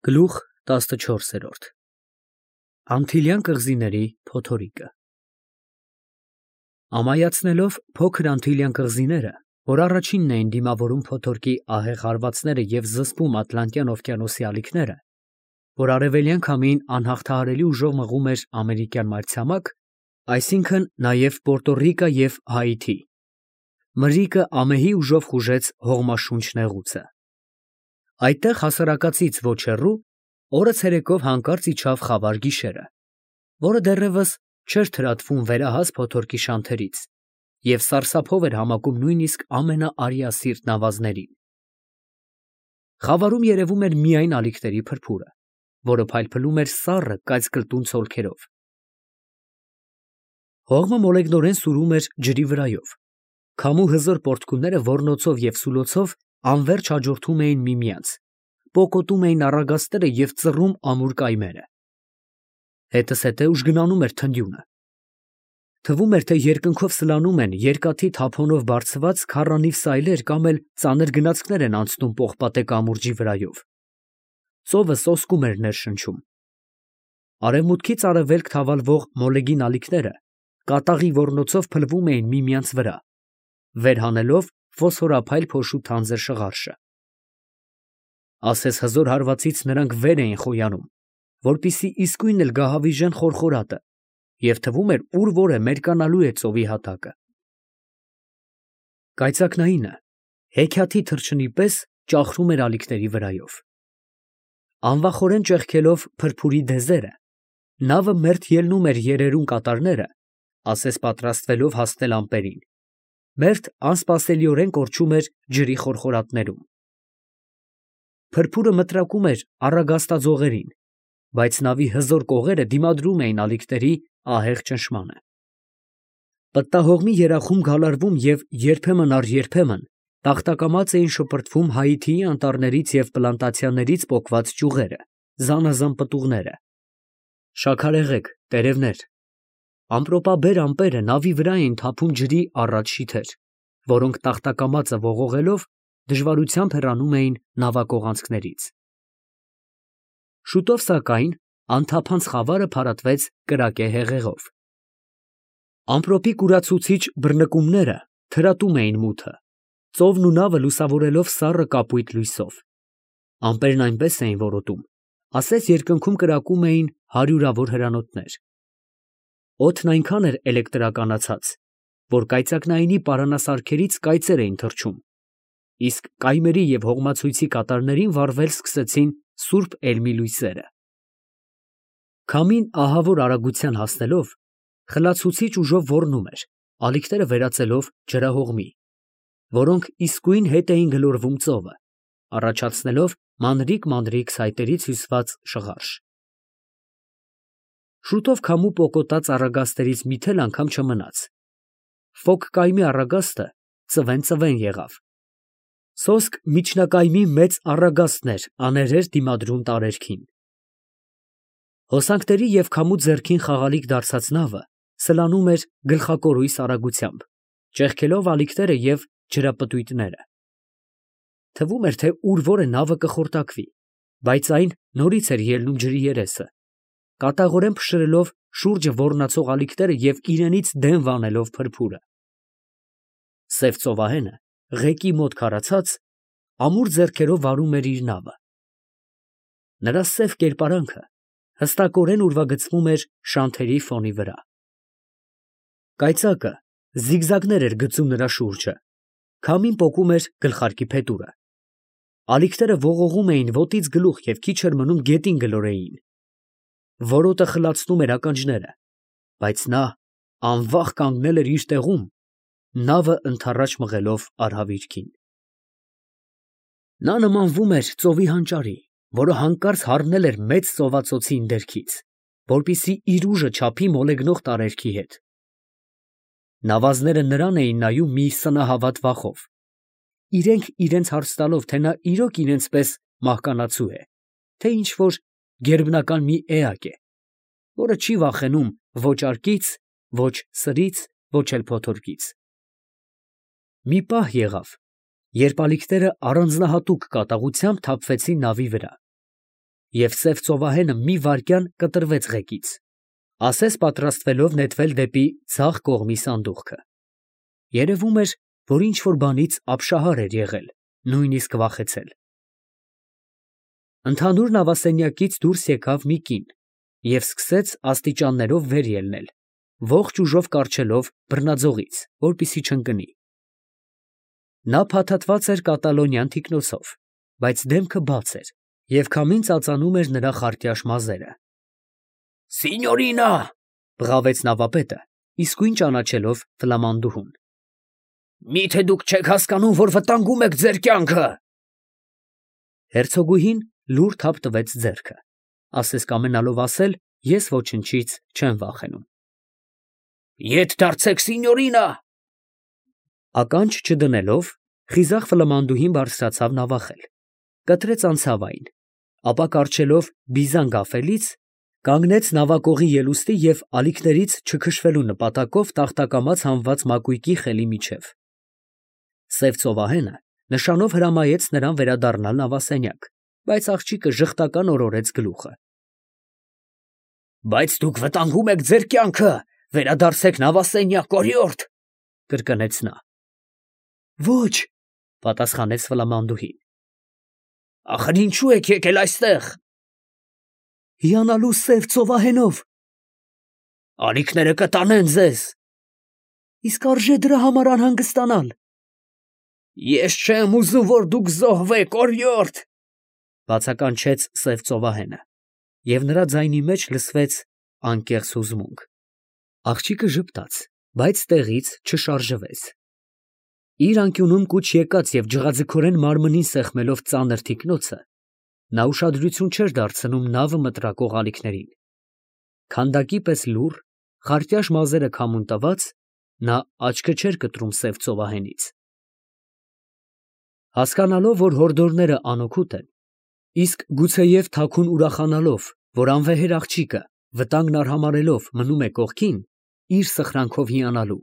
Գլուխ 14 Անտիլյան կղզիների փոթորիկը Ամայացնելով փոքր Անտիլյան կղզիները, որ առաջինն էին դիմավորում փոթորկի ահեղ հարվածները և զսպում Ատլանտյան օվկիանոսի ալիքները, որ արևելյան քամին անհաղթահարելի ուժով մղում էր ամերիկյան մայրցամաք, այսինքն նաև Պորտո Ռիկա և Հայիթի, մրրիկը ամեհի ուժով խուժեց հողմաշունչ նեղուցը։ Այդտեղ հասարակածից ոչ հեռու, օրը ցերեկով հանկարծ իջավ խավար գիշերը, որը դեռևս չէր թրատվում վերահաս փոթորկի շանթերից և սարսափով էր համակում նույնիսկ ամենաարիասիրտ նավազներին։ Խավարում երևում էր միայն ալիքների փրփուրը, որը փայլփլում էր սառը կայծկլտուն ցոլքերով։ Հողմը մոլեգնորեն սուրում էր ջրի վրայով, քամու հզոր պոռթկումները ոռնոցով և սուլոցով անվերջ հաջորդում էին միմյանց, պոկոտում էին առագաստերը և ծռում ամուր կայմերը։ Հետզհետե ուժգնանում էր թնդյունը։ Թվում էր, թե երկնքով սլանում են երկաթի թափոնով բարձված քառանիվ սայլեր կամ էլ ծանր գնացքներ են անցնում պողպատե կամուրջի վրայով։ Ծովը սոսկում էր ներշնչում։ Արևմուտքից արևելք թավալվող մոլեգին ալիքները կատաղի ոռնոցով փլվում էին միմյանց վրա, վեր հանելով ֆոսֆորափայլ փոշու թանձր շղարշը։ Ասես հզոր հարվածից նրանք վեր էին խոյանում, որպեսզի իսկույն էլ գահավիժեն խորխորատը, և թվում էր ուր որ է մերկանալու է ծովի հատակը։ Կայծակնայինը հեքիաթի թռչնի պես ճախրում էր ալիքների վրայով։ Անվախորեն ճեղքելով փրփուրի դեզերը, նավը մերթ ելնում էր երերուն կատարները, ասես պատրաստվելով հասնել ամպերին, մերթ անսպասելիորեն կորչում էր ջրի խորխորատներում։ Փրփուրը մտրակում էր առագաստաձողերին, բայց նավի հզոր կողերը դիմադրում էին ալիքների ահեղ ճնշմանը։ Պտտահողմի երախում գալարվում և երբեմն առ երբեմն տախտակամած էին շպրտվում Հայիթիի անտառներից և պլանտացիաներից պոկված ճյուղերը, զանազան պտուղները, շաքարեղեգ, տերևներ։ Ամպրոպաբեր ամպերը նավի վրա էին թափում ջրի առատ շիթեր, որոնք տախտակամածը ողողելով դժվարությամբ հեռանում էին նավակողանցքներից։ Շուտով, սակայն, անթափանց խավարը փարատվեց կրակե հեղեղով։ Ամպրոպի կուրացուցիչ բռնկումները թրատում էին մութը, ծովն ու նավը լուսավորելով սառը կապույտ լույսով։ Ամպերն այնպես էին որոտում, ասես երկնքում կրակում էին հարյուրավոր հրանոթներ։ Օդն այնքան էր էլեկտրականացած, որ կայծակնայինի պարանասարքերից կայծեր էին թռչում, իսկ կայմերի և հողմացույցի կատարներին վառվել սկսեցին սուրբ էլմի լույսերը։ Քամին ահավոր արագության հասնելով, խլացուցիչ ուժով ոռնում էր, ալիքները վերածելով ջրահողմի, որոնք իսկույն հետ էին գլորվում ծովը, առաջացնելով մանրիկ ցայտերից հյուսված շղարշ։ Շուտով քամու պոկոտած առագաստերից մի թել անգամ չմնաց։ Ֆոկ կայմի առագաստը ծվեն եղավ։ Սոսկ միջնակայմի մեծ առագաստն էր աներեր դիմադրում տարերքին։ Հոսանքների և քամու ձեռքին խաղալիք դարձած նավը սլանում էր գլխակորույս արագությամբ, ճեղքելով ալիքները և ջրապտույտները։ Թվում էր, թե ուր որ է նավը կխորտակվի, բայց այն նորից էր ելնում ջրի երեսը, կատաղորեն փշրելով շուրջը ոռնացող ալիքները և իրենից դեն վանելով փրփուրը։ Սև ծովահենը, ղեկի մոտ քարացած, ամուր ձեռքերով վարում էր իր նավը։ Նրա սև կերպարանքը հստակորեն ուրվագծվում էր շանթերի ֆոնի վրա։ Կայծակը զիգզագներ էր գծում նրա շուրջը, քամին պոկում էր գլխարկի փետուրը։ Ալիքները ողողում էին ոտից գլուխ և քիչ էր մնում գետին գլորեին։ Որոտը խլացնում էր ականջները, բայց նա անվախ կանգնել էր իր տեղում, նավը ընդառաջ մղելով արհավիրքին։ Նա նմանվում էր ծովի հանճարի, որը հանկարծ հառնել էր մեծ ծովածոցի ընդերքից, որպեսզի իր ուժը չափի մոլեգնող տարերքի հետ։ Նավազները նրան էին նայում մի սնահավատ վախով, իրենք իրենց հարց տալով, թե նա իրոք իրենց պես մահկանացու է, թե ինչ֊որ գերբնական մի էակ է, որը չի վախենում ոչ արկից, ոչ սրից, ոչ էլ փոթորկից։ Մի պահ եղավ, երբ ալիքները առանձնահատուկ կատաղությամբ թափվեցին նավի վրա, և սև ծովահենը մի վայրկյան կտրվեց ղեկից, ասես պատրաստվելով նետվել դեպի ձախ կողմի սանդուղքը. երևում էր, որ ինչ-որ բանից ապշահար էր եղել, նույնիսկ վախեցել։ Ընդհանուր նավասենյակից դուրս եկավ մի կին և սկսեց աստիճաններով վեր ելնել, ողջ ուժով կառչելով բռնաձողից, որպեսզի չընկնի։ Նա փաթաթված էր կատալոնյան թիկնոցով, բայց դեմքը բաց էր, և քամին ծածանում էր նրա խարտյաշ մազերը։ «Սինյորինա», բղավեց նավապետը, իսկույն ճանաչելով ֆլամանդուհուն։ «Մի՞թե դուք չեք հասկանում, որ վտանգում եք ձեր կյանքը»։ Հերցոգուհին լուռ թափ տվեց ձեռքը, ասես կամենալով ասել. «Ես ոչնչից չեմ վախենում»։ «Ետ դարձեք, սինյորինա»։ Ականջ չդնելով, խիզախ ֆլամանդուհին բարձրացավ նավախել, կտրեց անցավ այն, ապա կառչելով բիզան գաֆելից, կանգնեց նավակողի ելուստի և ալիքներից չքշվելու նպատակով տախտակամաց հանված մակույկի խելի միջև։ Սև ծովահենը նշանով հրամայեց նրան վերադառնալ նավասենյակ, բայց աղջիկը ժխտական օրորեց գլուխը։ «Բայց դուք վտանգում եք ձեր կյանքը, վերադարձեք նավասենյակ, օրիորդ», կրկնեց նա։ «Ոչ», պատասխանեց ֆլամանդուհին։ «Ախր ինչու եք եկել այստեղ»։ «Հիանալու սև ծովահենով»։ «Ալիքները կտանեն ձեզ»։ «Իսկ արժե դրա համար անհանգստանալ»։ «Ես չեմ ուզում, որ դուք զոհվեք, օրիորդ», բացականչեց սև ծովահենը, և նրա ձայնի մեջ լսվեց անկեղծ հուզմունք։ Աղջիկը ժպտաց, բայց տեղից չշարժվեց։ Իր անկյունում կուչ եկած և ջղաձգորեն մարմնին սեղմելով ծանր թիկնոցը, նա ուշադրություն չէր դարձնում նավը մտրակող ալիքներին։ Քանդակի պես լուռ, խարտյաշ մազերը քամուն տված, նա աչքը չէր կտրում սև ծովահենից։ Հասկանալով, որ հորդորները անօգուտ են, իսկ գուցեև թաքուն ուրախանալով, որ անվեհեր աղջիկը, վտանգն արհամարհելով, մնում է կողքին, իր սխրանքով հիանալու,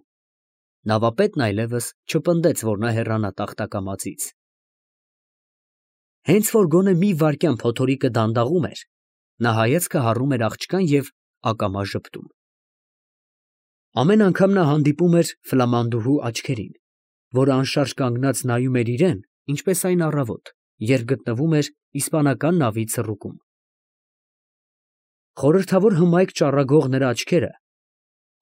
նավապետն այլևս չպնդեց, որ նա հեռանա տախտակամածից։ Հենց որ գոնե մի վայրկյան փոթորիկը դանդաղում էր, նա հայացքը հառում էր աղջկան և ակամա ժպտում։ Ամեն անգամ նա հանդիպում էր ֆլամանդուհու աչքերին, որը անշարժ կանգնած նայում էր իրան, ինչպես այն առավոտ, երբ գտնվում էր իսպանական նավի ցռուկում։ Խորհրդավոր հմայք ճառագող նրա աչքերը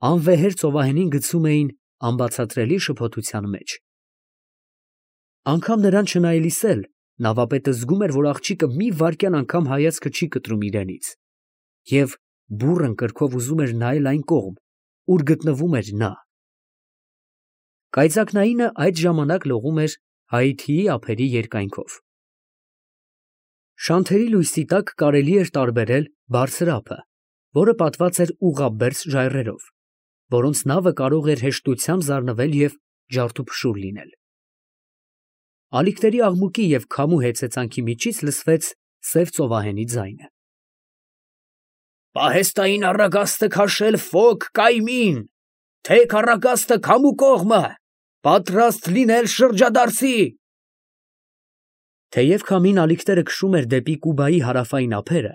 անվեհեր ծովահենին գցում էին անբացատրելի շփոթության մեջ։ Անգամ նրան չնայելիս էլ, նավապետը զգում էր, որ աղջիկը մի վայրկյան անգամ հայացքը չի կտրում իրենից, և բուռն կրքով ուզում էր նայել այն կողմ, ուր գտնվում էր նա։ Կայծակնայինը այդ ժամանակ լողում էր Հայիթիի ափերի երկայնքով։ Շանթերի լույսի տակ կարելի էր տարբերել բարձր ափը, որը պատված էր ուղղաբերձ ժայռերով, որոնց նավը կարող էր հեշտությամբ զարնվել և ջարդուփշուր լինել։ Ալիքների աղմուկի և քամու հեծեծանքի միջից լսվեց սև ծովահենի ձայնը։ «Պահեստային առագաստը քաշել Ֆոք կայմին, թեք առագաստը քամու կողմը, պատրաստ լինել շրջադարձի»։ Թեև քամին ալիքները քշում էր դեպի Կուբայի հարավային ափերը,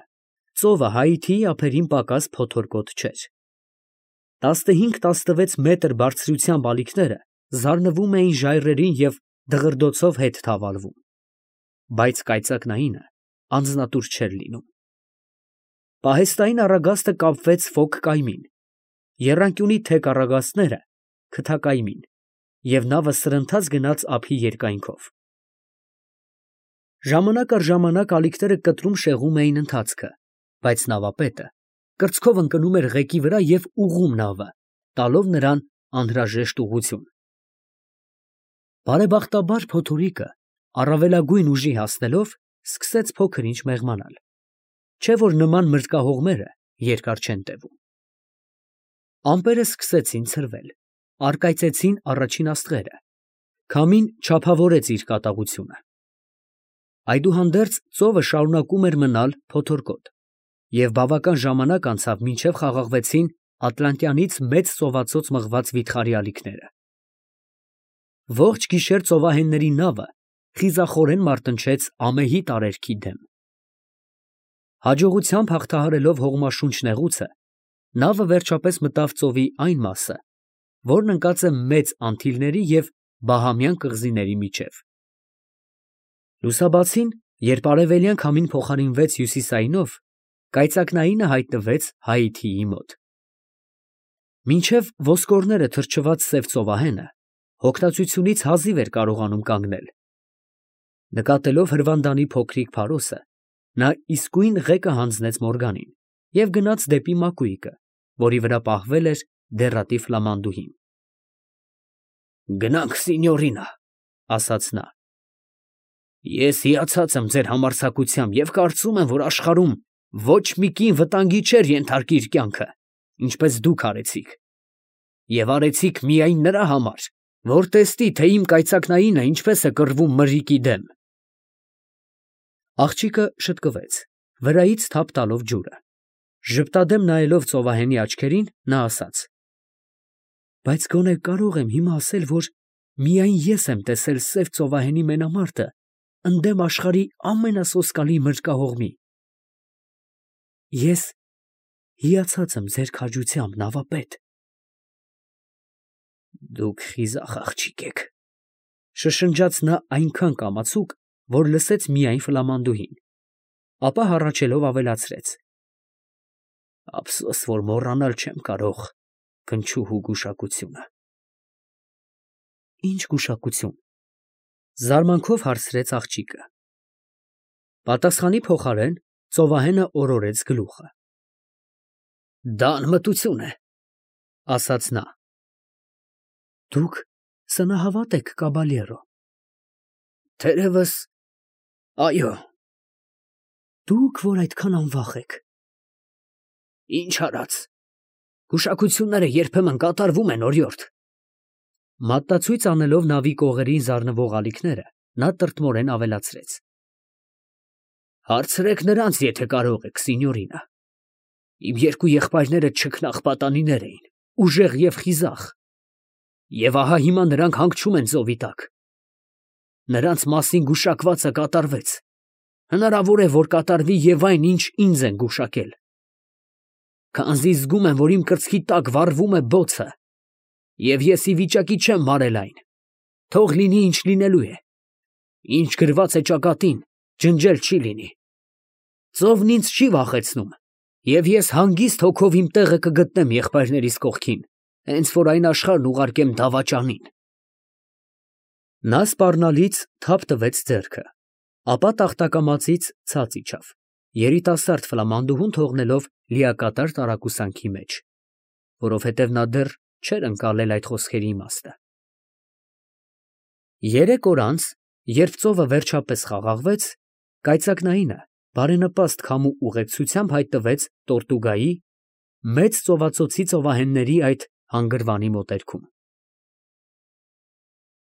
ծովը Հայիթիի ափերին պակաս փոթորկոտ չէր։ 15-16 մետր բարձրությամբ ալիքները զարնվում էին ժայռերին և դղրդոցով հետ թավալվում, բայց կայծակնայինը անձնատուր չէր լինում։ Պահեստային առագաստը կապվեց Ֆոք կայմին, եռանկյունի թեք առագաստները քթակայմին, և նավը սրընթաց գնաց ափի երկայնքով։ Ժամանակ առ ժամանակ ալիքները կտրում֊շեղում էին ընթացքը, բայց նավապետը կրծքով ընկնում էր ղեկի վրա և ուղղում նավը, տալով նրան անհրաժեշտ ուղղություն։ Բարեբախտաբար փոթորիկը, առավելագույն ուժի հասնելով, սկսեց փոքր-ինչ մեղմանալ, չէ՞ որ նման մրրկահողմերը երկար չեն տևում։ Ամպերը սկսեցին ցրվել, առկայծեցին առաջին աստղերը, քամին չափավորեց իր կատաղությունը։ Այդուհանդերձ ծովը շարունակում էր մնալ փոթորկոտ, և բավական ժամանակ անցավ, մինչև խաղաղվեցին Ատլանտյանից մեծ ծովածոց մղված վիթխարի ալիքները։ Ողջ գիշեր ծովահենների նավը խիզախորեն մարտնչեց ամեհի տարերքի դեմ։ Հաջողությամբ հաղթահարելով հողմաշունչ նեղուցը, նավը վերջապես մտավ ծովի այն մասը, որն ընկած է Մեծ Անտիլների և Բահամյան կղզիների միջև։ Լուսաբացին, երբ արևելյան քամին փոխարինվեց հյուսիսայինով, կայծակնայինը հայտնվեց Հայիթիի մոտ։ Մինչև ոսկորները թրջված սև ծովահենը հոգնածությունից հազիվ էր կարողանում կանգնել։ Նկատելով հրվանդանի փոքրիկ փարոսը, նա իսկույն ղեկը հանձնեց Մորգանին և գնաց դեպի մակույկը, որի վրա պահվել էր դեռատի ֆլամանդուհին։ «Գնանք, սինյորինա, ֊ ասաց նա, ֊ ես հիացած եմ ձեր համարձակությամբ և կարծում եմ, որ աշխարհում ոչ մի կին վտանգի չէր ենթարկի իր կյանքը, ինչպես դուք արեցիք, և արեցիք միայն նրա համար, որ տեսնի, թե իմ կայծակնայինը ինչպես է կռվում մրրիկի դեմ»։ Աղջիկը շտկվեց, վրայից թափ տալով ջուրը։ Ժպտադեմ նայելով ծովահենի աչքերին, նա ասաց. «Բայց գոնե կարող եմ հիմա ասել, որ միայն ես եմ տեսել սև ծովահենի մենամարտը ընդդեմ աշխարհի ամենասոսկալի մրրկահողմի։ Ես հիացած եմ ձեր քաջությամբ, նավապետ»։ «Դուք խիզախ աղջիկ եք, ֊ շշնջաց նա այնքան կամացուկ, որ լսեց միայն ֆլամանդուհին, ապա հառաչելով ավելացրեց. «Ափսոս, որ մոռանալ չեմ կարող քնչուհու գուշակությունը»։ «Ի՞նչ գուշակություն, ֊ զարմանքով հարցրեց աղջիկը։ Պատասխանի փոխարեն ծովահենը օրորեց գլուխը։ «Դա անմտություն է, ֊ ասաց նա։ ֊ Դուք սնահավատ եք, կաբալյերո։ ֊ Թերևս, այո։ ֊ Դուք, որ այդքան անվախ եք։ ֊ Ինչ արած, գուշակությունները երբեմն կատարվում են, օրիորդ։ Մատնացույց անելով նավի կողերին զարնվող ալիքները, նա տրտմորեն ավելացրեց. «Հարցրեք նրանց, եթե կարող եք, սինյորինա։ Իմ երկու եղբայրները չքնաղ պատանիներ էին, ուժեղ և խիզախ, և ահա հիմա նրանք հանգչում են ծովի տակ։ Նրանց մասին գուշակվածը կատարվեց, հնարավոր է, որ կատարվի և այն, ինչ ինձ են գուշակել։ Քանզի զգում եմ, որ իմ կրծքի տակ վառվում է բոցը, և ես ի վիճակի չեմ մարել այն, թող լինի, ինչ լինելու է։ Ինչ գրված է ճակատին, ջնջել չի լինի։ Ծովն ինձ չի վախեցնում, և ես հանգիստ հոգով իմ տեղը կգտնեմ եղբայրներիս կողքին, հենց որ այն աշխարհն ուղարկեմ դավաճանին»։ Նա սպառնալից թափ տվեց ձեռքը, ապա տախտակամածից ցած իջավ, երիտասարդ ֆլամանդուհուն թողնելով լիակատար տարակուսանքի մեջ, որովհետև նա դեռ չէր ընկալել այդ խոսքերի իմաստը։ 3 օր անց, երբ ծովը վերջապես խաղաղվեց, կայծակնայինը բարենպաստ քամու ուղեկցությամբ հայտնվեց Տորտուգայի, մեծ ծովածոցի ծովահենների այդ հանգրվանի մոտերքում։